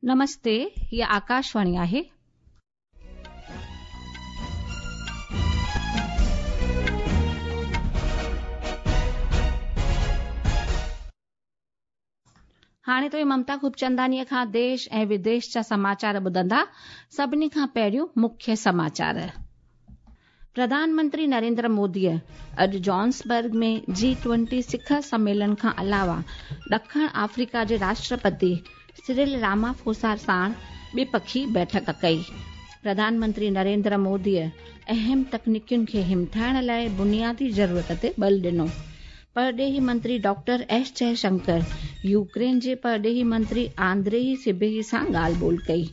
नमस्ते, हीअ आकाशवाणी आहे. हाणे तव्हीं ममता खूबचंदानीअ खां देश ऐं विदेश जा समाचार ॿुधंदा। सभिनी खां पहिरियों मुख्य समाचार। प्रधानमंत्री नरेंद्र मोदीअ अॼु जॉन्सबर्ग में जी-20 शिखर सम्मेलन खां अलावा ॾखण आफ्रिका जे राष्ट्रपति सिरिल रामाफोसा साण ॿिपखी बैठक कई। प्रधानमंत्री नरेंद्र मोदीअ अहम तकनीकियुनि खे हिमठाइण लाइ बुनियादी ज़रूरत ते बल ॾिनो। परॾेही मंत्री डॉक्टर एस जयशंकर यूक्रेन जे परॾेही मंत्री आंद्रेई सिबेही सां ॻाल्हि ॿोल कई।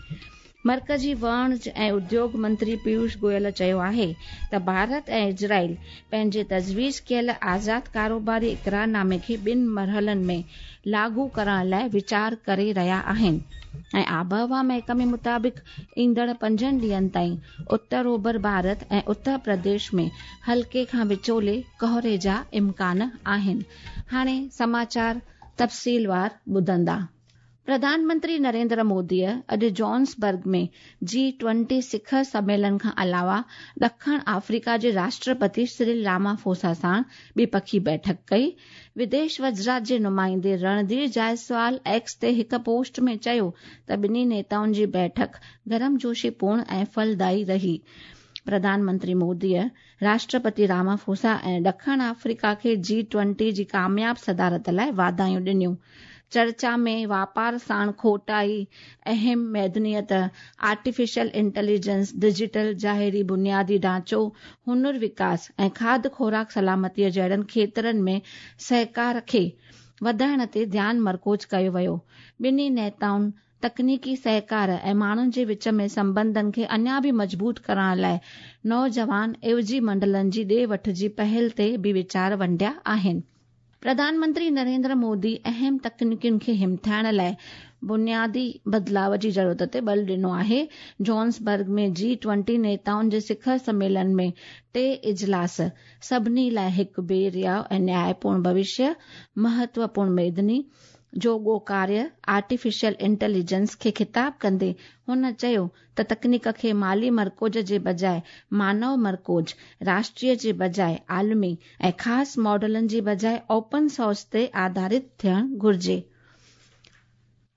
मर्कज़ी वणज ऐं उद्योग मंत्री पीयूष गोयल चयो आहे त भारत ऐं इज़राइल पंहिंजे तजवीज़ कयल आज़ाद कारोबारी इकरारनामे खे ॿिनि मरहलनि में लागू करण लाइ वीचार करे रहिया आहिनि ऐं आबहवा महकमे मुताबिक़ ईंदड़ 5 ॾींहनि ताईं उत्तर ओभर भारत ऐं उत्तर प्रदेश में हल्के खां विचोले कोहरे जा इम्कान आहिनि। हाणे समाचार तफ़सीलवार ॿुधंदा। प्रधानमंत्री नरेंद्र मोदीअ अॼु जॉन्सबर्ग में जी-20 शिखर सम्मेलन खां अलावा ॾखण आफ्रिका जे राष्ट्रपति सिरिल रामाफोसा साण ॿिपखी बैठक कई। विदेश वज़ारत जे नुमाइंदे रणधीर जायसवाल एक्स ते हिकु पोस्ट में चयो त ॿिन्ही नेताउनि जी बैठक गर्मजोशीपूर्ण ऐं फलदायी रही। प्रधानमंत्री मोदीअ राष्ट्रपति रामाफोसा ऐं ॾखण आफ्रिका खे जी-20 जी कामयाब सदारत लाइ वाधायूं ॾिनियूं। चर्चा में वापार साण खोटाई, अहम मैदनीयत, आर्टिफिशियल इंटेलिजेंस, डिजिटल ज़ाहिरी बुनियादी ढांचो, हुनर विकास ऐं खाध खुराक सलामतीअ जहिड़नि खेतरनि में सहकार खे वधाइण ते ध्यानु मरकूज़ कयो वियो। ॿिन्ही नेताउनि तकनीकी सहकार ऐं माण्हुनि जे विच में संबंधनि खे अञा बि मज़बूत करण लाइ नौजवान एवजी मंडलनि जी ॾे वठ जी पहल ते बि वीचार वंडिया आहिनि। प्रधानमंत्री नरेंद्र मोदी अहम तकनीकियुनि खे हिमठाइण लाइ बुनियादी बदिलाव जी ज़रूरत ते बल ॾिनो आहे। जॉन्सबर्ग में जी-20 नेताउनि जे शिखर सम्मेलन में टे इजलास सभिनी लाइ हिकु बेरियाव ऐं न्यायपूर्ण भविष्य, महत्वपूर्ण मैदनी, जोगो कार्य, आर्टिफिशियल इंटेलिजेंस खे ख़िताब कंदे हुन चयो त तकनीक खे माली मरकूज़ जे बजाए मानव मरकूज़, राष्ट्रीय जे बजाए आलमी ऐं ख़ासि मॉडलनि जी बजाए ओपन सोर्स ते आधारित थियणु घुरिजे।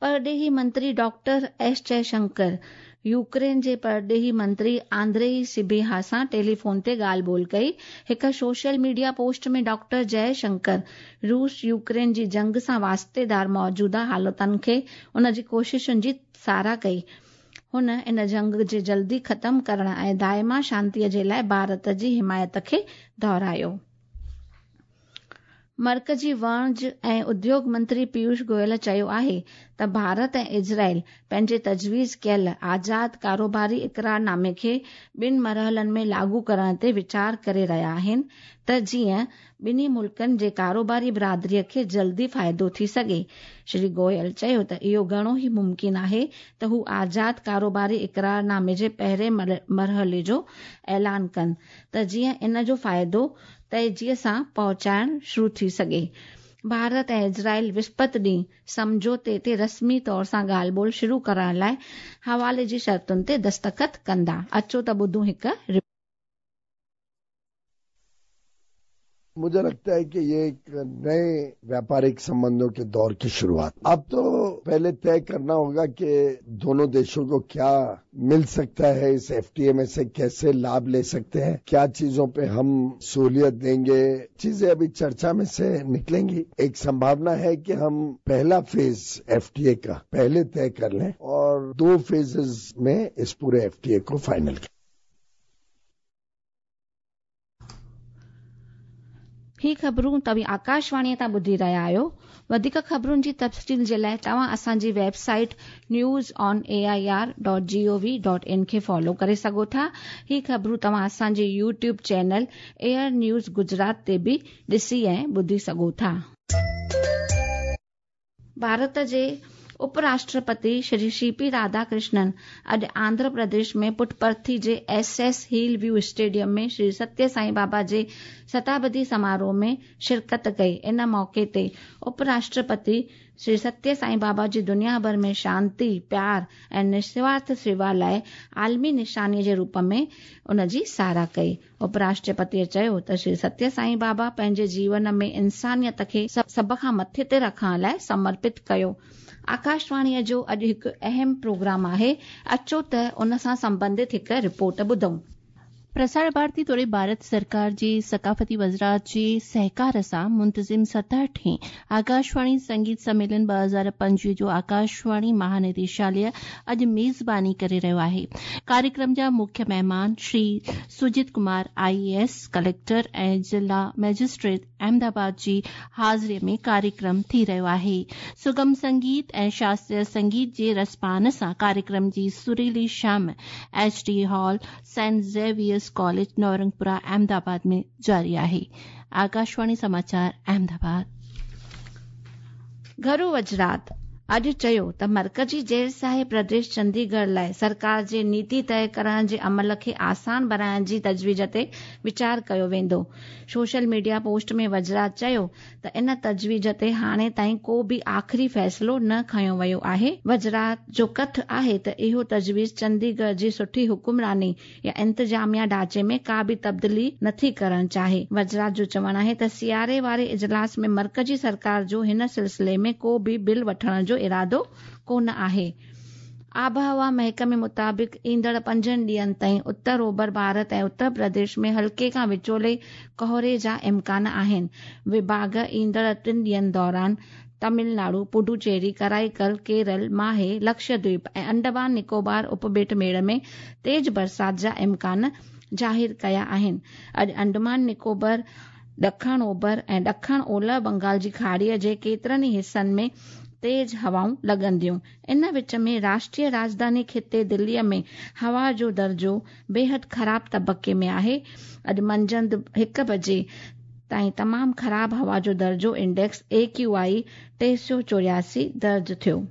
परॾेही मंत्री डॉक्टर एस जयशंकर यूक्रेन जे परॾेही मंत्री आंद्रेई सिबेहा सां टेलीफोन ते ॻाल्हि ॿोल कई। हिकु सोशल मीडिया पोस्ट में डॉक्टर जयशंकर रूस यूक्रेन जी जंग सां वास्तेदार मौजूदा हालतुनि खे उन जी कोशिशुनि जी सराह कई। हुन इन जंग जे जल्दी ख़तम करण ऐं दाइमा शांतीअ जे लाइ भारत जी हिमायत खे दोहरायो। मर्कज़ी वणज ऐं उद्योग मंत्री पीयूष गोयल चयो आहे त भारत ऐं इज़राइल पंहिंजे तजवीज़ कयल आज़ाद कारोबारी इकरारनामे खे ॿिनि मरहलनि में लागू करण ते वीचार करे रहिया आहिनि त जीअं ॿिन्ही मुल्कनि जे कारोबारी बिरादरीअ खे जल्दी फ़ाइदो थी सघे। श्री गोयल चयो त इहो घणो ई मुमकिन आहे त हू आज़ाद कारोबारी इकरारनामे जे पहिरें मरहले जो ऐलान कनि त जीअं इन जो फ़ाइदो तेज़ीअ सां पहुचाइण शुरू थी सघे। भारत ऐं इज़राइल विस्पति ॾींहुं सम्झौते ते रस्मी तौर सां ॻाल्हि ॿोल शुरू करण लाइ हवाले जी शर्तुनि ते दस्तख़त कंदा। अचो त ॿुधूं हिकु मुझे लगता है कि ये एक नए व्यापारिक संबंधों के दौर की शुरुआत। अब तो पहले तय करना होगा कि दोनों देशों को क्या मिल सकता है इस एफटीए में से, कैसे लाभ ले सकते हैं, क्या चीजों पे हम सहूलियत देंगे। चीजें अभी चर्चा में से निकलेंगी। एक संभावना है कि हम पहला फेज एफटीए का पहले तय कर लें और 2 फेजेस में इस पूरे एफटीए को फाइनल करें। ही ख़बरूं तव्हीं आकाशवाणीअ तां ॿुधी रहिया आहियो। वधीक ख़बरुनि जी तफ़सील जे लाइ तव्हां असांजी वेबसाइट newsonair.gov.in खे फॉलो करे सघो था। ही ख़बरूं तव्हां असांजे YouTube channel air news Gujarat ते बि ॾिसी ऐं ॿुधी सघो था। भारत जे उपराष्ट्रपति श्री सी पी राधाकृष्णन अॼु आंध्र प्रदेश में पुटपर्थी जे S S hill view stadium में श्री सत्य साईं बाबा जे शताब्दी समारोह में शिरकत कई। इन मौक़े ते उपराष्ट्रपति श्री सत्य साईं बाबा जी दुनिया भर में शांति, प्यार ऐं निस्वार्थ सेवा लाइ आलमी निशानीअ जे रूप में उन जी सराह कई। उपराष्ट्रपतीअ चयो त श्री सत्य साईं बाबा पंहिंजे जीवन में इंसानियत खे सभ खां मथे ते रखण लाइ समर्पित कयो। आकाशवाणीअ जो अॼु हिकु अहम प्रोग्राम आहे, अचो त उन सां संबंधित हिकु रिपोर्ट ॿुधूं। प्रसार भारती तोड़े भारत सरकार जे सकाफ़ती वज़ारत जे सहकार सां मुंतज़िम 67हें आकाशवाणी संगीत सम्मेलन 2025 जो आकाशवाणी महानिदेशालय अॼु मेज़बानी करे रहियो आहे। कार्यक्रम जा मुख्य महिमान श्री सुजित कुमार आईएएस कलेक्टर ऐं ज़िला मैजिस्ट्रेट अहमदाबाद जी हाज़िरीअ में कार्यक्रम थी रहियो आहे। सुगम संगीत ऐं शास्त्रीय संगीत जे रसपान सां कार्यक्रम जी सुरीली शाम HD hall Saint Xavier's college Navrangpura Ahmedabad में जारी आहे। आकाशवाणी समाचार अहमदाबाद। घरू वज़ारत अॼु चयो त मर्कज़ी ज़ेर साहे प्रदेश चंडीगढ़ लाइ सरकार जे नीति तय करण जे अमल खे आसान बणाइण जी तजवीज़ ते वीचार कयो वेंदो। सोशल मीडिया पोस्ट में वज़ारत चयो त इन तजवीज़ ते हाणे ताईं को बि आख़िरी फ़ैसिलो न खयो वियो आहे। वज़ारत जो कथ आहे त इहो तजवीज़ चंडीगढ़ जी सुठी हुकुमरानी या इंतज़ामिया ढांचे में का बि तब्दीली नथी करण चाहे। वज़ारत जो चवणु आहे त सियारे वारे इजलास में मर्कज़ी सरकार जो हिन सिलसिले में को बि बिल वठण जो इरादो कोन आहे। आबहवा महकमे मुताबिक़ ईंदड़ 5 ॾींहनि ताईं उत्तर ओभर भारत ऐं उत्तर प्रदेश में हल्के खां विचोले कोहरे जा इम्कान आहिनि। विभाग ईंदड़ 3 ॾींहनि दौरान तमिलनाडु, पुडुचेरी, कराईकल, केरल, माहे, लक्षद्वीप ऐं अंडमान निकोबार उपॿेट मेड़ में तेज़ बरसात जा इम्कान ज़ाहिर कया आहिनि। अॼु अंडमान निकोबार, ॾखण ओभर ऐं ॾखण ओलह बंगाल जी खाड़ीअ जे केतिरनि ई हिसनि में तेज़ हवाऊं लॻंदियूं। इन विच में राष्ट्रीय राजधानी ख़िते दिल्लीअ में हवा जो दर्जो बेहद ख़राब तबक़े में आहे। अॼु मंझंदि 1 बजे ताईं तमामु ख़राब हवा जो दर्जो इंडेक्स AQI 384 दर्ज थियो।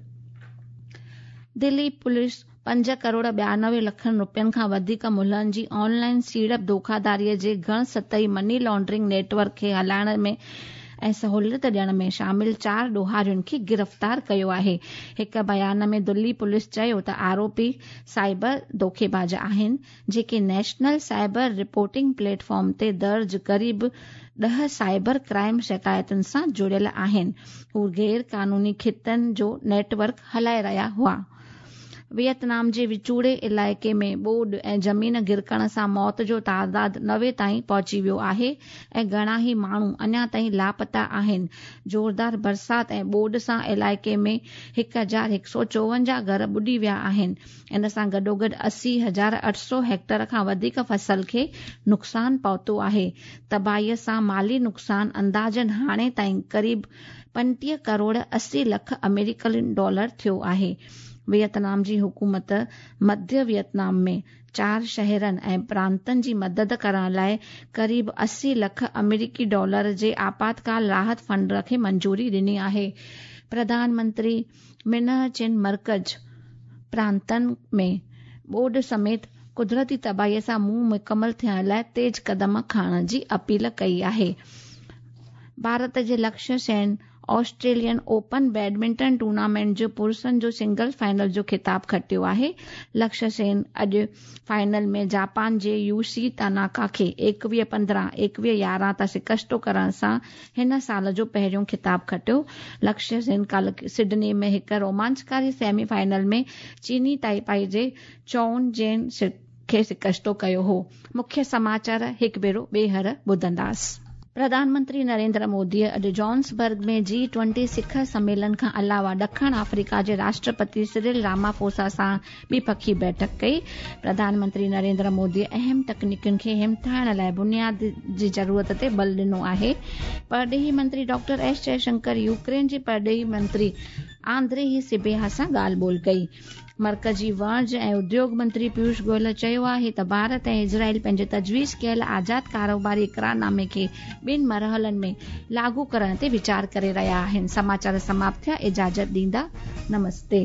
दिल्ली पुलिस 5 करोड़ 92 लखनि रुपयनि खां वधीक मुल्हनि जी ऑनलाइन सीड़प धोखाधारीअ जे घण सतही मनी लॉन्ड्रिंग नेटवर्क खे हलाइण में ऐं सहूलियत ॾियण में शामिल 4 ॾोहारियुनि खे गिरफ़्तार कयो आहे। हिकु बयान में दिल्ली पुलिस चयो त आरोपी साइबर धोखेबाज़ आहिनि, जेके नेशनल साइबर रिपोर्टिंग प्लेटफॉर्म ते दर्ज क़रीब 10 साइबर क्राइम शिकायतुनि सां जुड़ियल आहिनि। हू गैर कानूनी ख़ितनि जो नेटवर्क हलाए रहिया हुआ। वियतनाम जे विचूड़े इलाइक़े में ॿोॾ ऐं ज़मीन गिरकण सां मौत जो तादाद 90 ताईं पहुची वियो आहे ऐं घणा ई माण्हू अञा ताईं लापता आहिनि। ज़ोरदार बरसात ऐं ॿोॾ सां इलाइक़े में 1154 घर ॿुॾी विया आहिनि। इन सां गॾोगॾु 80,800 हेक्टर खां वधीक फसल खे नुक़सानु पहुतो आहे। तबाहीअ सां माली नुक़सानु अंदाज़न हाणे ताईं क़रीब 35 करोड़ 80 लख अमेरिकी डॉलर थियो आहे। वियतनाम जी हुकूमत मध्य वियतनाम में 4 शहरनि ऐं प्रांतनि जी मदद करण लाइ क़रीब 80 लख अमेरिकी डॉलर जे आपातकाल राहत फंड खे मंजूरी ॾिनी आहे। प्रधानमंत्री मिनह चिन मर्कज़ प्रांतनि में ॿोॾ समेत कुदरती तबाहीअ सां मुंहुं मुकमल थियण लाइ तेज़ क़दम खणण जी अपील कई आहे। भारत जे Lakshya Sen Australian open badminton tournament जो पुरुषनि जो सिंगल फाइनल जो ख़िताब खटियो आहे। लक्ष्य सेन अॼु फाइनल में जापान जे यूसी तानाका खे 21-15, 21-11 तां शिकस्तो करण सां हिन साल जो पहिरियों ख़िताब खटियो। लक्ष्य सेन काल्ह सिडनी में हिकु रोमांचकारी सेमी फाइनल में चीनी ताइपाई जे चोन जेन खे शिकस्तो कयो हो। मुख्य समाचार हिकु भेरो ॿीहर ॿुधंदासीं। प्रधानमंत्री नरेंद्र मोदीअ अॼु जॉन्सबर्ग में G20 शिखर सम्मेलन खां अलावा ॾखण अफ्रीका जे राष्ट्रपति सिरिल रामाफोसा सां ॿिपखी बैठक कई। प्रधानमंत्री नरेंद्र मोदीअ अहम तकनीकुनि खे हिमथाइण लाइ बुनियाद जी ज़रूरत ते बल ॾिनो आहे। परॾेही मंत्री डॉक्टर एस जयशंकर यूक्रेन जे परॾेही मंत्री आंद्रेही सिबेहा सां ॻाल्हि ॿोल कई। मर्कज़ी वणज ऐं उद्योग मंत्री पीयूष गोयल चयो आहे त भारत ऐं इज़राइल पंहिंजे तजवीज़ कयल आज़ाद कारोबारी इकरारनामे खे ॿिनि मरहलनि में लागू करण ते वीचार करे रहिया आहिनि। समाचार समाप्त थिया, इजाज़त ॾींदा, नमस्ते।